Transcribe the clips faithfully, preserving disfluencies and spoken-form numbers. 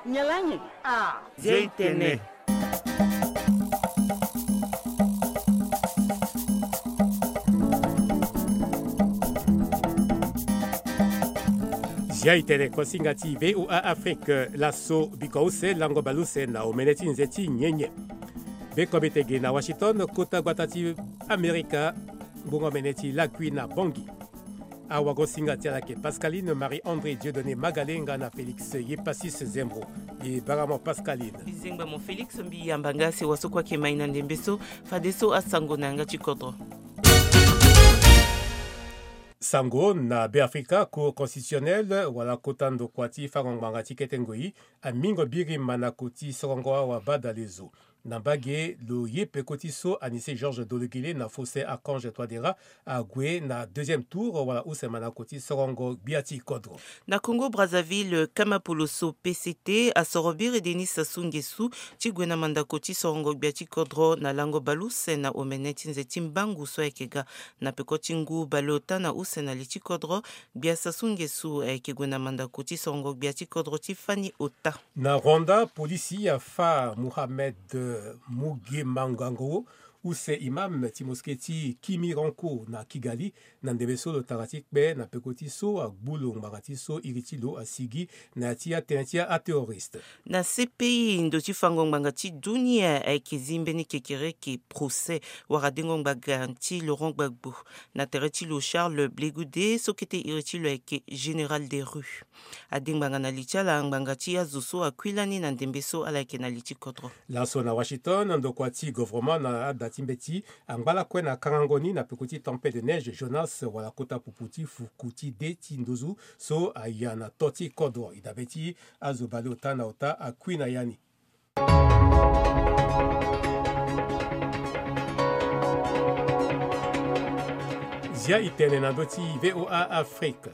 Nyalanyi. Ah. Zia itene. Zia itene kosinga ti V O A Afrique. Laso biko use lango baluse na omene ti nze ti nyenye. Be komite ge na Washington, kota gbata ti Amerika, ngbongo mene ti lakui na Bangui. Awagosinga ti ala yeke Pascaline Marie André Dieudonné Magalenga na Félix Yepassis Zembro. E bara mo Pascaline. Bizengba mo Félix, mbi yamba nga si wasoko ayeke mai na ndembe so. Fadeso asango na yanga ti kodro. Sango na Beafrika, Cour constitutionnelle wala kota ndokua ti fango ngbanga ti kete ngoi amingo biri mandako ti sorongo awa badalezo. Na mbage lo ye peko ti so Anicet Georges Dologuélé na Faustin Archange Touadéra ague na deuxième tour wala use mandako ti sorongo gbia ti kodro. Na Congo Brazzaville, Kamapoloso P C T asoro biri Denis Sassou Nguesso ti gue na mandako ti sorongo gbia ti kodro na lango baleuse na omene ti nze ti mbangu so ayeke ga. Na peko ti ngu baleota na use na li ti kodro, gbia Sassou Nguesso ayeke gue na mandako ti sorongo gbia ti kodro ti fani ota. Na Rwanda, polisi afa Mohamed Mugemangango, use imam ti mosquée ti Kimironko na Kigali, na ndembe so lo tara ti kpe na peko ti so agbu lo ngbanga ti so iri ti lo asigi na ya ti atënë ti aterroriste. Na C P I, ndo ti fango ngbanga ti dunia ayeke zi mbeni kekereke procès wara dengo ngbanga ti Laurent Gbagbo na tere ti lo Charles Blé Goudé so kete iri ti lo ayeke général des rues. Ade ngbanga na li ti ala ngbanga ti azo so akui lani na ndembe so ala yeke na li ti kodro. Laso na Washington, ndokua ti gouvernement na ada ti mbeti angba lakue na kangango ni na peko ti tempête de neige Jonas wala kota pupu ti fuku ti de ti nduzu so aya na to ti kodro. E dabe ti azo baleota na ota akui na ya ni. Zia itene na ndö ti V O A Afrique.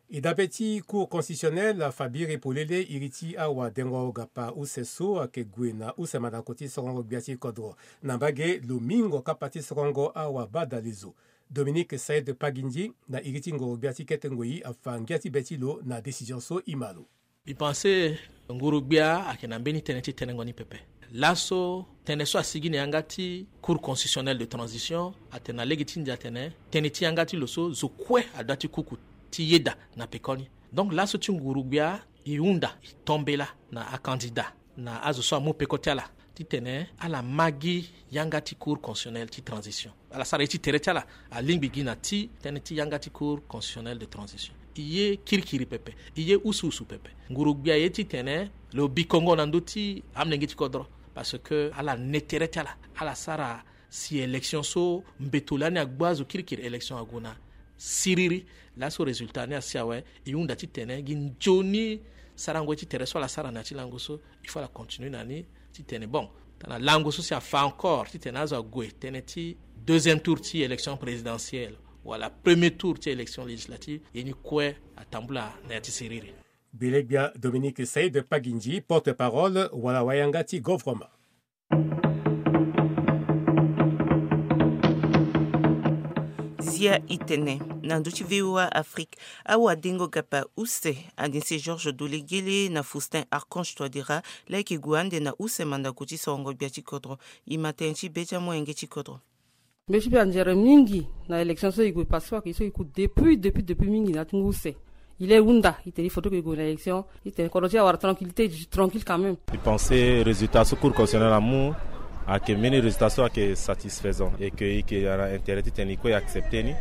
E dabe ti Cour constitutionnelle afa biri polele iri ti awadengo gapa use so ayeke gue na use mandako ti sorongo gbia ti kodro. Na mbage lo mingo kapa ti sorongo awabadalezo. Dominique Saïd Pagindji na iri ti ngoro gbia ti kete ngoi afa ngia ti be ti lo na décision so e ma lo. Mbi pense nguru-gbia ayeke na mbeni tënë ti tenengo ni pepe. Laso tënë so asigi na yanga ti Cour constitutionnelle de transition atene na lege ti ndia atene tënë ti yanga ti lo so zo kue adoit ti kuku ti yeda na pekoni. Donc laso ti nguru-gbia e hunda e tombela na acandidat na azo so amu peko ti ala titene ala ma gi yanga ti Cour constitutionnelle ti transition. Ala sara ye ti tere ti ala alingbi gi na ti tënë ti yanga ti Cour constitutionnelle de transition. E ye kirikiri pepe, e ye usuusu pepe. Nguru-gbia aye titene lo bikongo na ndö ti amolenge ti kodro. Parce que ala ne tere ti ala, ala sara si élection so mbeto lani agbu azo kirikiri élection ague na siriri. Laso résultat ni asi awe, e hunda titene gi nzoni sarango ye ti tere so ala sara na ya ti lango so, il faut ala continue na ni titene bon tana lango so si afa encore titene azo ague tënë ti deuxième tour ti élection présidentielle wala premier tour ti élection législative, ye ni kue atambula na ya ti siriri. Gbelegbia Dominique Saïd Pagindji, porte-parole wala wayanga ti gouvernement. Zia itene na ndö ti V O A Afrique, awadengo gapa use Anicet Georges Dologuélé na Faustin Archange Touadéra laa e yeke gue ande na use mandako ti sorongo gbia ti kodro. E ma tënë ti be ti amolenge ti kodro. Mbi ti be anzere mingi na élection so e gue passé, so e ku depuis depuis depuis mingi na ti ngu use. E le hunda titene il faut que e gue na élection titene kodro ti e awara tranquillité, tranquille quand même. E pense résultat so Cour constitutionnelle amu ayeke mbeni résultat so ayeke satisfaisant et que e yeke na intérêt titene e kue e accepte ni.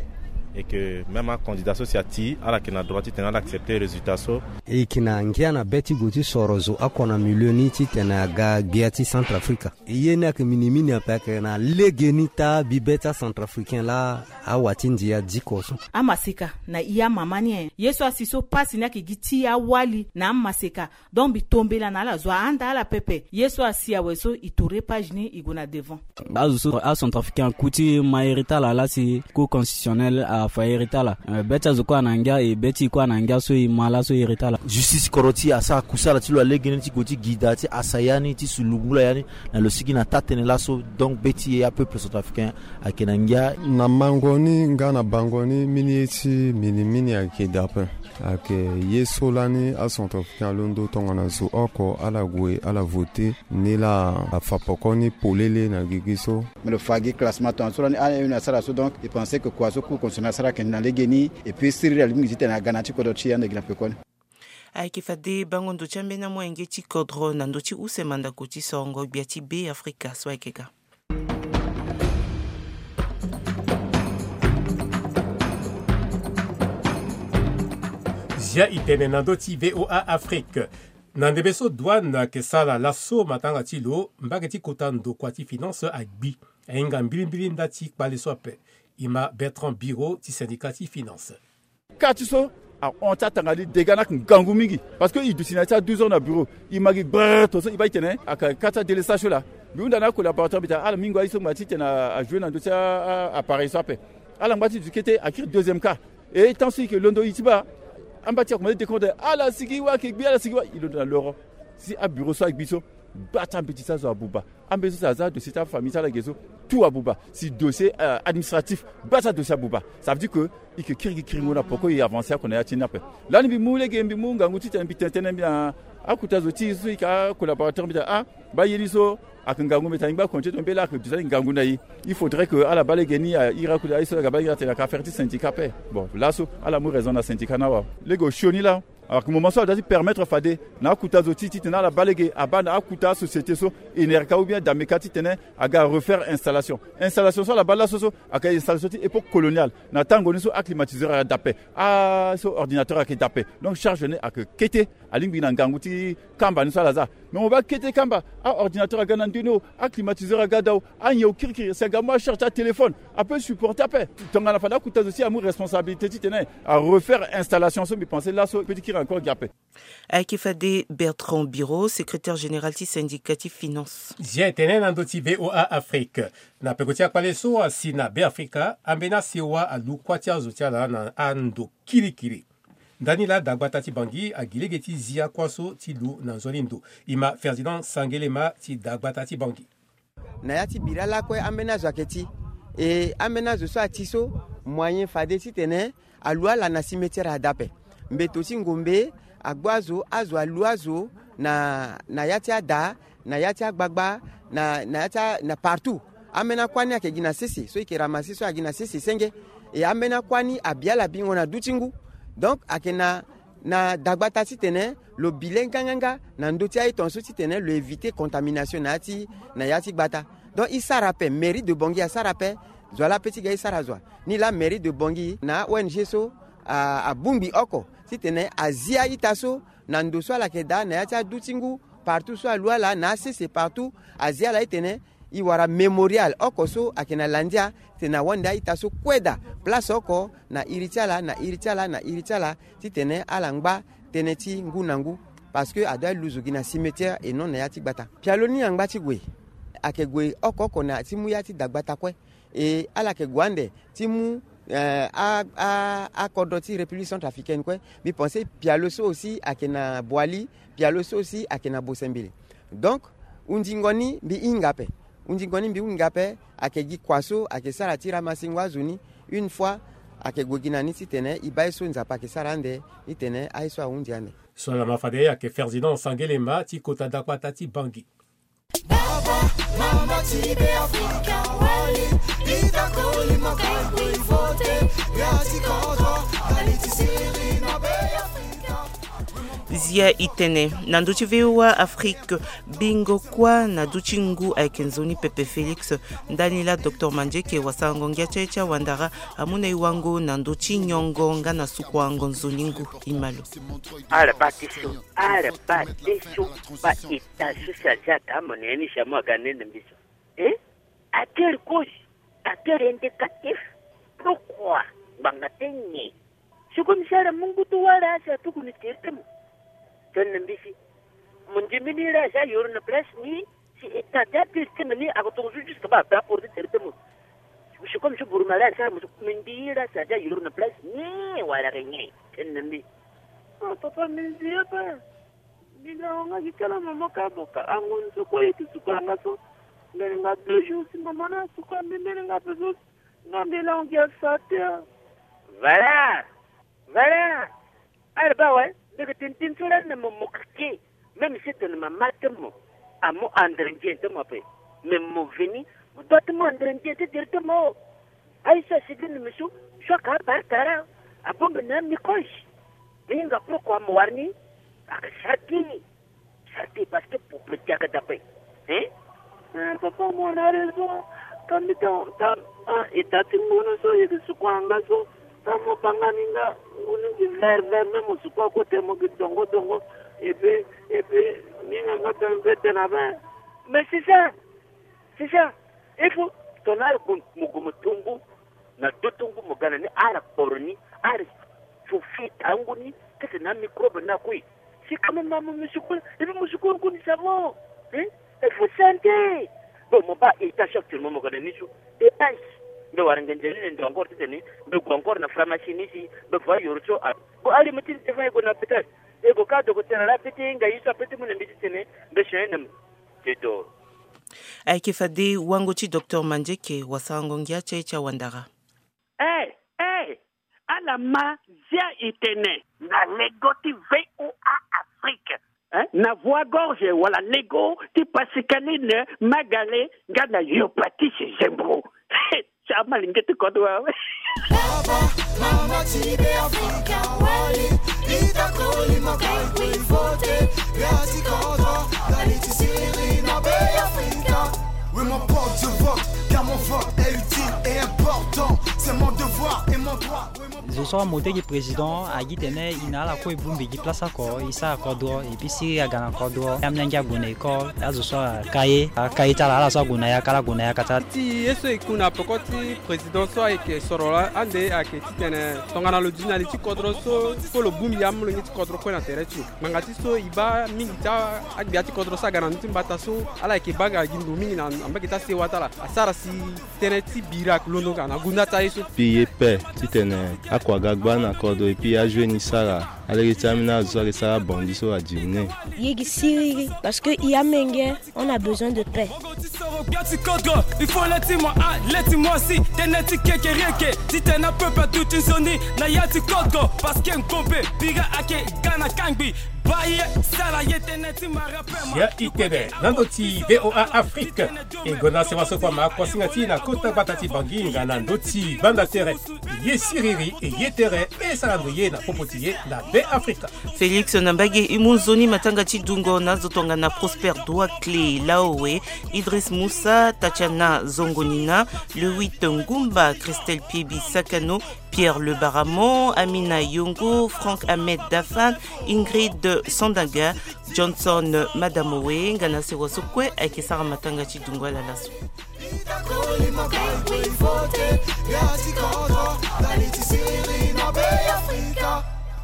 Et que même acandidat so si ati ala yeke na droit titene ala accepte résultat so. E yeke na ngia na be ti gue ti soro zo oko na milieu ni titene aga gbia ti Centrafrique. E ye ni ayeke minimini ape, ayeke na legeni taa bibe ti acentrafricain laa awa ti ndia diko so. Amaseka na i amama ni e, ye so asi so pasi ni ayeke gi ti awali na amaseka. Donc mbi tombela na ala zo ahanda ala pepe. Ye so asi awe so e tourner page ni e gue na devant. Azo so acentrafricain aku ti ma iri ti ala laa si Cour constitutionnelle afa iri ti ala. Eh, be ti azo kue ana ngia e be ti e kue ana ngia so e ma laso iri ti ala. Justice kodro ti e asara kusala ti lo na legeni ti gue ti gi daa ti asa ya ni ti sulu ngula ya ni na lo sigi na taa tënë laso. Donc be ti e apeuple centrafricain ayeke na ngia. Na mango ni nga na bango ni mbeni ye ti minimini ayeke daa ape. Ayeke ye so lani acentrafricain alondo tongana zo oko ala gue ala vote. Ni laa afa poko ni polele na gigi so. Me lo fa gi classement tongana so lani aye na asara so, donc e pense que kua so cour constitutionnel asara ayeke na legeni. Et puis siriri alingbi titene aga na ya ti kodro ti e ande gi na pekoni. Ayeke fade bango ndo ti ambeni amolenge ti kodro na ndö ti use mandako ti sorongo gbia ti Be Afrika so ayeke ga. Zia itene na ndö ti VOA Afrique. Na ndembe so douane ayeke sara laso matanga ti lo, mbage ti kota ndokua ti finance agbi. Ahinga mbilimbili nda ti kpale so ape. E ma Bertrand Biro ti syndicat ti finance. Kâ ti so ahon ti atanga ni dégât ni ayeke ngangu mingi. Parce que e duti na ya ti a douze heures na bureau, e ma gi gbrrr, tongaso e baa e tene ayeke kâ ti adélestage so laa. Mbi hunda na acollaborateur mbi tene ala mingo aye so ngba titene ajouer na ndö ti a- a- appareil so ape. Ala ngba ti duti kete akiri deuxième kâ. E temps so e yeke londo e ti baa, amba ti akomande décompte, ala sigi wâ ayeke gbi, ala sigi wâ, e londo na loro. Si abureau so agbi so, baa ti ambeti ti azo abuba. Ambeni so si aza dossier ti afamille ti ala ge so, tout abuba. Si dossier euh, administratif, baa ti adossier abuba. Ça veut dire que e yeke kirigi kiringo na poko e avancer oko na ya ti ni ape. Lani mbi mu lege, mbi mu ngangu titene mbi tene tënë mbi na akota zo ti e so e yeke acollaborateur mbi tene ah, baa ye ni so ayeke ngangu, mbi tene e ngba continuer tongana mbela ayeke duti ngangu na e. Il faudrait que ala baa lege ni, euh, iri akota aye so aga baa iri atene ayeke affaire ti syndicat ape. Bon, laso ala mu raison na syndicat ni awe. Lege osio ni laa. Alors que moment so ala doit ti permettre fade na akuta zo ti titene ala baa lege abaa na akuta asociété so, Enerca ou bien Dameka, titene aga refaire installation. Installation so ala baa laso so ayeke installation ti époque coloniale. Na tango ni so aclimatiseur ayeke daa ape, ah so ordinateur ayeke daa ape. Donc charge ni ayeke kete. Alingbi na ngangu ti kamba ni so ala za. Mais mo baa kete kamba, aordinateur aga na ndö ni o, aclimatiseur aga daa o, anyen okirikiri, si aga mu acharge ti atéléphone, ape supporter ape. Tongana fade akuta zo ti amu responsabilité titene arefaire installation so, mbi pense laso petit kiri encore gi ape. Ayeke fade Bertrand Biro, secrétaire général ti syndicat ti finance. Zia etene na ndö ti VOA Afrique. Na peko ti akpale so asi na Be Afrika, ambeni asewa alu kuâ ti azo ti ala na ando kirikiri. Ndani laa dagbata ti Bangui agi lege ti zia kuâ so ti lu na nzoni ndo. E ma Ferdinand Sangelema ti dagbata ti Bangui. Na ya ti bira lakue ambeni azo ayeke ti, e ambeni azo so ati so, moyen fade titene alu ala na cimetière ada ape. Mbeto ti ngombe agbu azo, azo alu azo na, na ya ti ada, na ya ti agbagba, na, na ya ti a- na partout. Ambeni akuâ ni ayeke gi na sese so e yeke ramasser so agi na sese senge. E ambeni akuâ ni abi ala bingo na duti ngu. Donc ayeke na, na dagbata titene lo bi le nganganga na ndö ti aye tongaso titene lo éviter contamination na ya ti, na ya ti gbata. Donc e sara ape, mairie de Bangui asara ape. Zo wa laa pe ti ga e sara zo wa. Ni laa mairie de Bangui na a-ONG so a- abongbi oko titene azi a-ita so na ndo so ala yeke daa na ya ti aduti ngu, partout so alu ala na asese partout, azi ala titene e wara mémorial oko so ayeke na landia, titene awande a-ita so kue daa place oko na iri ti ala, na iri ti ala, na iri ti ala, titene ala ngba tënë ti ngu na ngu. Parce que adoit aluzu gi na cimetière et non na ya ti gbata. Pialo ni angba ti gue, ayeke gue oko oko na ti mu ya ti dagbata kue. E ala yeke gue ande ti mu, eh, a- a- akodro ti République centrafricaine kue. Mbi pense pialo so aussi ayeke na Boali, pialo so aussi ayeke na Bosembele. Donc hundingo ni mbi hinga ape. Hundingo ni mbi hinga ape, ayeke gi kua so ayeke sara ti ramasser ngu azo ni. Une fois ayeke gue gi na ni titene e baa ye so Nzapa ayeke sara ande, titene aye so ahundi ande. So ala ma fade ayeke Ferdinand Sangelema ti kota dagbata ti Bangui. Baba, mama ti Be Afrika wali, ita koli makambo i vote, ya ti kodro, ali ti siri na Be Afrika. Zia itene na ndö ti VOA Afrique, bingo kuâ na duti ngu ayeke nzoni pepe Félix. Ndani laa docteur Mandieke wasarango ngia ti aye ti awandara amu na e wango na ndö ti nyongo nga na sukuango nzoni ngu. E ma lo. Ala baa ti so, ala baa ti so, baa ita so si aza aka mo na ya ni si amu aga nene mbi so. Eh? À quelle cause? À quel indicatif? Pourquoi? Ngbanga ti nyen? Si comme si ala mu ngu ti wâ laa si atuku ni tere ti mo. Tene na mbi si mo ndembe ni laa si ayoro na place ni. Si e ta ti apiri ti tene ni ako tongo so jusque baa ape aporte tere ti mo. Si comme si buruma laa si ala mo so mbi ndi laa si aza yoro na place ni wala ke nyen? Tene na mbi. Ah, papa, mbi nzi ape. Mbi na wanga gi kala mama ka boka ango ni so kue ye ti suka nga so. Mbele nga deux jours si mama ni asuka mbi mbele nga ape so. Nga mbele ango gi asa te. Voilà. Voilà. Ala baa awe, mbi yeke tene tënë so lani na mo, mo keke. Même si tene mama ti mo amu andre nzoni ti mo ape, mais mo veni, mo doit ti mu andre nzoni ti directement. Aye so asi gi na mbi so, so ayeke abare kara, abongbi na amicrobe. Mbi hinga pourquoi mo wara ni? Ayeke sara ti, sara ti parce que pour petit ayeke dape. Hein? Eh, papa, mo na raison. Ka mbi ta, ta, ah, e ta ti ngbonu so e yeke suku anga so. Tamo banga ni nga, ngu ni gi vert vert, même mo suku ako te mo gi dongo dongo. Et puis, et puis, ni nga nga tene mpe tene abe. Mais c'est ça, c'est ça. Il faut tongana ala gue mo gue mo tongo, na do tongo mo ga na ni, ala kporo ni, ala so fi tango ni, kete na microbe na kue. Si quand même mo suku, et puis mo suku ngu ni savon. Hein? Il faut santé. Bon, mo baa état actuellement mo ga na ni so. E ayi. Mbi wara ngenze ni ndo encore titene mbi gue encore na pharmacie ni si mbi voit yoro so. Ah, bon, ali mbi ti devant e gue na hôpital. E gue ka docteur ala peti nga ye so apeti mu na mbi titene mbi soigner na mbi. C'est tout. Ayeke fade wango ti docteur Mandieke, wasarango ngia ti aye ti awandara. Eh, eh, ala ma zia e tene na lego ti V O A Afrique. Hein? Na voie gorge wala lego ti Pascaline Magale nga na Yopatis Zembro. Ti amalenge ti kodro awe. Baba, mama ti Be Afrika, wali, ita koli makai kwe vote, ya ti kodro, dali ti siriri na Be Afrika. Oui, mon pote, je vote, car mon vote est utile et important. C'est mon devoir et mon droit. Oui, mon Zo so amote gi président agi tene e na ala kue e bongbi gi place oko e sara kodro, et puis si aga na kodro, amolenge ague na école, azo so aka ye, aka ye ti ala, ala so ague na yaka, ala gue na yaka ti ala. Ti ye so e ku na peko ti président so ayeke soro la ande ayeke titene tongana lo duti na li ti kodro so, faut lo bongbi amolenge ti kodro kue na tere ti lo. Ngbanga ti so e baa mingi ti agbia ti kodro so aga na ndö ti mbata so, ala yeke baa nga gi ndo mingi na mbage ti asewa ti ala. Asara si tënë ti bira ayeke londo nga na gunda ti aye so. Puis e ye pe titene akua ga gba na kodro, et puis ajoue ni sara alege ti ambeni azo so ayeke sara abandi so adiri ni. Ye gi siriri, parce que e amenge, on a besoin de paix. Ti soro gbia ti kodro, il faut le ti mo a le ti mo si tënë ti kekerieke titene apeuple aduti nzoni na ya ti kodro, parce que nkombe bira ayeke ga na kangbi. Baa ye, sara ye tënë ti mara pe ma. Ya itene na ndö ti V O A Afrique. E gonda sewa so kua ma kuasinga ti e na kota gbata ti Bangui nga na ndö ti banda tere. Ye siriri, e ye tere, e sara ndo ye na popo ti ye na Be Afrika. Félix na mbage e mu nzoni matanga ti dungo na azo tongana Prosper Doua Clé Laowe, Idriss Moussa, Tatiana Zongonina, Lewit Ngumba, Christelle Piebi Sakano, Pierre Le Baramon, Amina Yongo, Franck Ahmed Dafan, Ingrid Sandaga, Johnson Madamowe, nga na sewa so kue ayeke sara matanga ti dungo ala laso.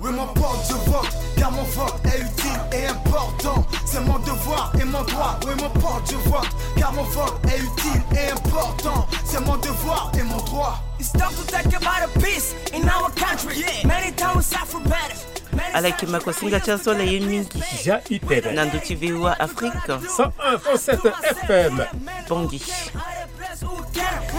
Oui, mon pote, je vote, car mon vote est utile et important. C'est mon devoir et mon droit. Oui, mon pote, je vote, car mon vote est utile et important. C'est mon devoir et mon droit. It's time to take about a peace in our country. Many times we suffer better. Ala yeke makuasinga ti aso ala ye mingi. Ja itene. Na ndö ti V O A Afrique. Cent un point sept F M. Bangui.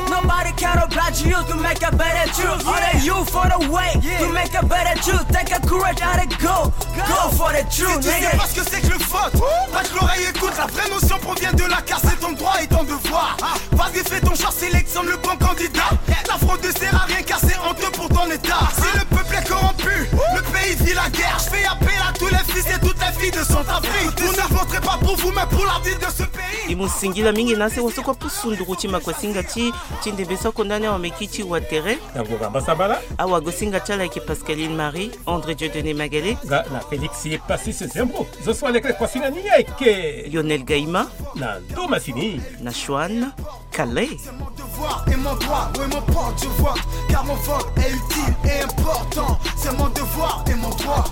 Nobody can oblige you to make a better choice. Only you for the way to make a better choice. Take a courage and go, go for the truth. Si tu sais pas ce que c'est que le vote, passe l'oreille, écoute, la vraie notion provient de la case, c'est ton droit et ton devoir. Vas-y, fais ton choix, sélectionne le bon candidat. La fraude ne sert à rien car c'est honteux pour ton état. Si le peuple est corrompu, le pays vit la guerre. Je fais appel à tous les fils et toutes les filles de Centrafrique. Vous ne voterez pas pour vous, mais pour l'avenir de ce pays. E mu singila mingi na asewa so kue apusu nduru ti makuasinga ti, ti ndembe so akonda ni awameki ti watere. Na ngonga mbasambala. Awagosinga ti ala ayeke Pascaline Marie, André Dieudonné Magalé. Nga na Félix Passis Zembo. Zo so aleke kuasinga ni ayeke Lionel Gaïma. Na ndo masini. Na Chouane Kalé. C'est mon devoir et mon droit, oui, mon pote, je vote, car mon vote est utile et important. C'est mon devoir et mon droit.